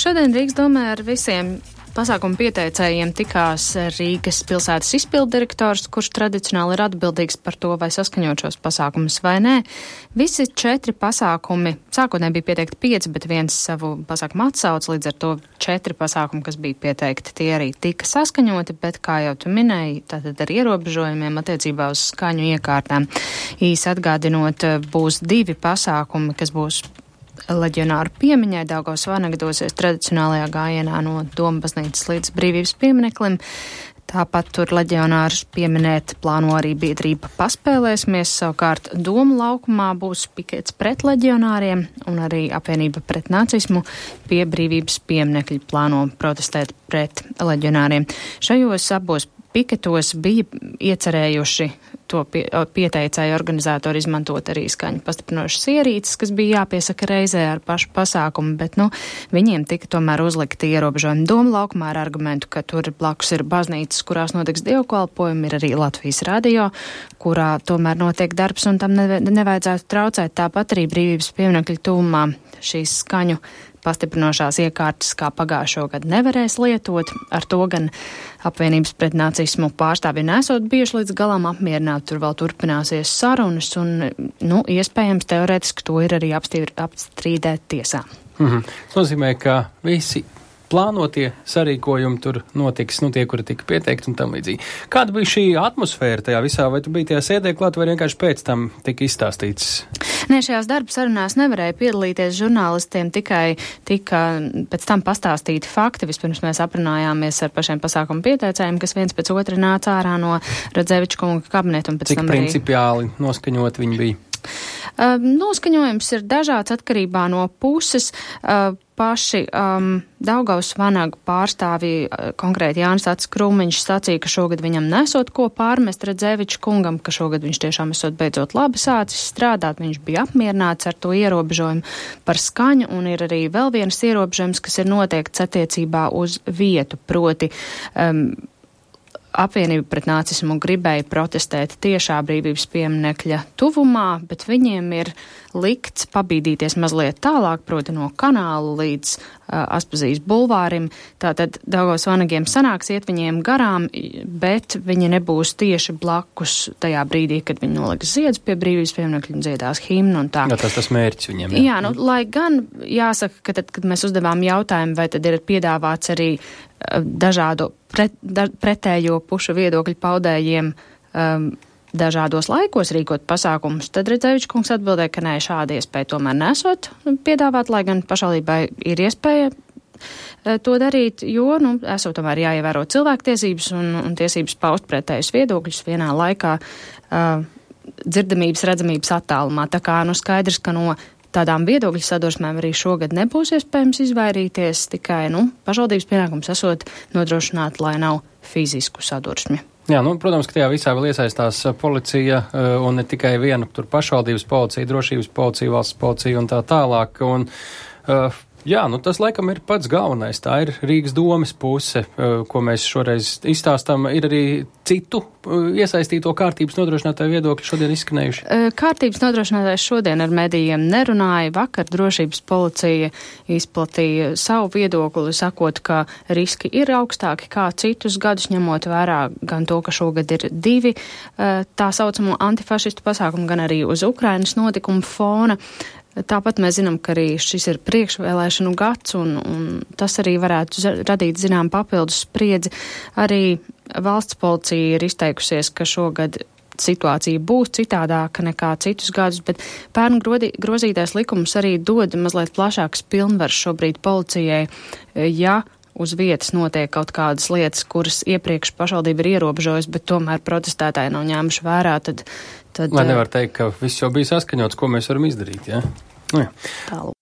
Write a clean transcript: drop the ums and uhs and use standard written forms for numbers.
Šodien Rīgas domē ar visiem pasākumu pieteicējiem tikās Rīgas pilsētas izpilddirektors, kurš tradicionāli ir atbildīgs par to, vai saskaņot šos pasākumus vai nē. Visi 4 pasākumi, sākotnēji bija pieteikti 5, bet viens savu pasākumu atsauc, līdz ar to 4 pasākumi, kas bija pieteikti, tie arī tika saskaņoti, bet, kā jau tu minēji, tātad ar ierobežojumiem attiecībā uz skaņu iekārtām. Īsi atgādinot, būs 2 pasākumi, kas būs leģionāru piemiņai. Daugavas vanaga dosies tradicionālajā gājienā no Doma baznīcas līdz Brīvības piemineklim. Tāpat tur leģionārus pieminēt plāno arī biedrība Paspēlēsimies. Savukārt Doma laukumā būs pikets pret leģionāriem un arī apvienība pret nacismu pie Brīvības pieminekļa plāno protestēt pret leģionāriem. Šajos abos piketos bija iecerējuši to pieteicēju organizatori izmantot arī skaņu pastiprinošas ierīces, kas bija jāpiesaka reizē ar pašu pasākumu, bet, viņiem tika tomēr uzlikti ierobežojumi. Doma laukumā ar argumentu, ka tur blakus ir baznīcas, kurās notiks dievkalpojumi, ir arī Latvijas radio, kurā tomēr notiek darbs un tam nevajadzētu traucēt. Tāpat arī Brīvības pieminekļa tuvumā šīs skaņu pastiprinošās iekārtas, kā pagājušo gadu, nevarēs lietot. Ar to gan apvienības pret nacismu pārstāvji nesot bijuši līdz galam apmierināti. Tur vēl turpināsies sarunas un, iespējams, teorētiski to ir arī apstrīdēt tiesā. Tas nozīmē, ka visi plānotie sarīkojumi tur notiks, tie, kuri tika pieteikti un tam līdzīgi. Kāda bija šī atmosfēra tajā visā? Vai tu biji tajā sēdē klāt, vai vienkārši pēc tam tika izstāstīts? Nē, šajās darba sarunās nevarēja piedalīties žurnālistiem, tikai tika pēc tam pastāstīti fakti. Vispirms mēs aprunājāmies ar pašiem pasākumu pieteicējiem, kas viens pēc otra nāca ārā no Radzeviča kunga kabineta. Cik principiāli noskaņot viņi bija? Noskaņojums ir dažāds atkarībā no puses. Paši Daugavas vanagu pārstāvji, konkrēti Jānis Acis Krūmiņš, sacīja, ka šogad viņam nesot ko pārmest Radzeviča kungam, ka šogad viņš tiešām esot beidzot labi sācis strādāt, viņš bija apmierināts ar to ierobežojumu par skaņu, un ir arī vēl viens ierobežojums, kas ir noteikts attiecībā uz vietu, proti apvienība pret nacismu gribēja protestēt tiešā Brīvības pieminekļa tuvumā, bet viņiem ir likts pabīdīties mazliet tālāk, proti no kanāla līdz Aspazijas bulvārim. Tātad Daugavas vanagiem sanāks iet viņiem garām, bet viņi nebūs tieši blakus tajā brīdī, kad viņi noliks ziedus pie Brīvības pieminekļa un dziedās himnu un tā. Jā, tas mērķis viņiem. Jā, lai gan jāsaka, ka tad, kad mēs uzdevām jautājumu, vai tad ir piedāvāts arī dažādu pretējo pušu viedokļu paudējiem dažādos laikos rīkot pasākumus, tad Radzeviča kungs atbildēja, ka nē, šāda iespēja tomēr nesot piedāvāt, lai gan pašvaldībai ir iespēja to darīt, jo, esot tomēr jāievēro cilvēktiesības un tiesības paust pretējus viedokļus vienā laikā dzirdamības, redzamības attālumā. Tā kā, skaidrs, ka no tādām viedokļu sadursmēm arī šogad nebūs iespējams izvairīties, tikai, pašvaldības pienākums esot nodrošināt, lai nav fizisku sadursmi. Jā, protams, ka tajā visā vēl iesaistās policija un ne tikai viena tur pašvaldības policija, drošības policija, valsts policija un tā tālāk. Un, tas laikam ir pats galvenais. Tā ir Rīgas domes puse, ko mēs šoreiz izstāstam. Ir arī citu iesaistīto kārtības nodrošinātāju viedokļi šodien izskanējuši? Kārtības nodrošinātājs šodien ar medijiem nerunāja. Vakar drošības policija izplatīja savu viedokli, sakot, ka riski ir augstāki kā citus gadus, ņemot vērā gan to, ka šogad ir 2 tā saucamo antifašistu pasākumu, gan arī uz Ukrainas notikumu fona. Tāpat mēs zinām, ka arī šis ir priekšvēlēšanu gads, un tas arī varētu radīt zinām papildus spriedzi. Arī valsts policija ir izteikusies, ka šogad situācija būs citādāka nekā citus gadus, bet pērn grozītais likums arī dod mazliet plašākas pilnvaras šobrīd policijai, ja uz vietas notiek kaut kādas lietas, kuras iepriekš pašvaldība ir ierobežojusi, bet tomēr protestētāji nav ņēmuši vērā, tad... Lai nevar teikt, ka viss jau bija saskaņots, ko mēs varam izdarīt, jā? Jā. Tālūk.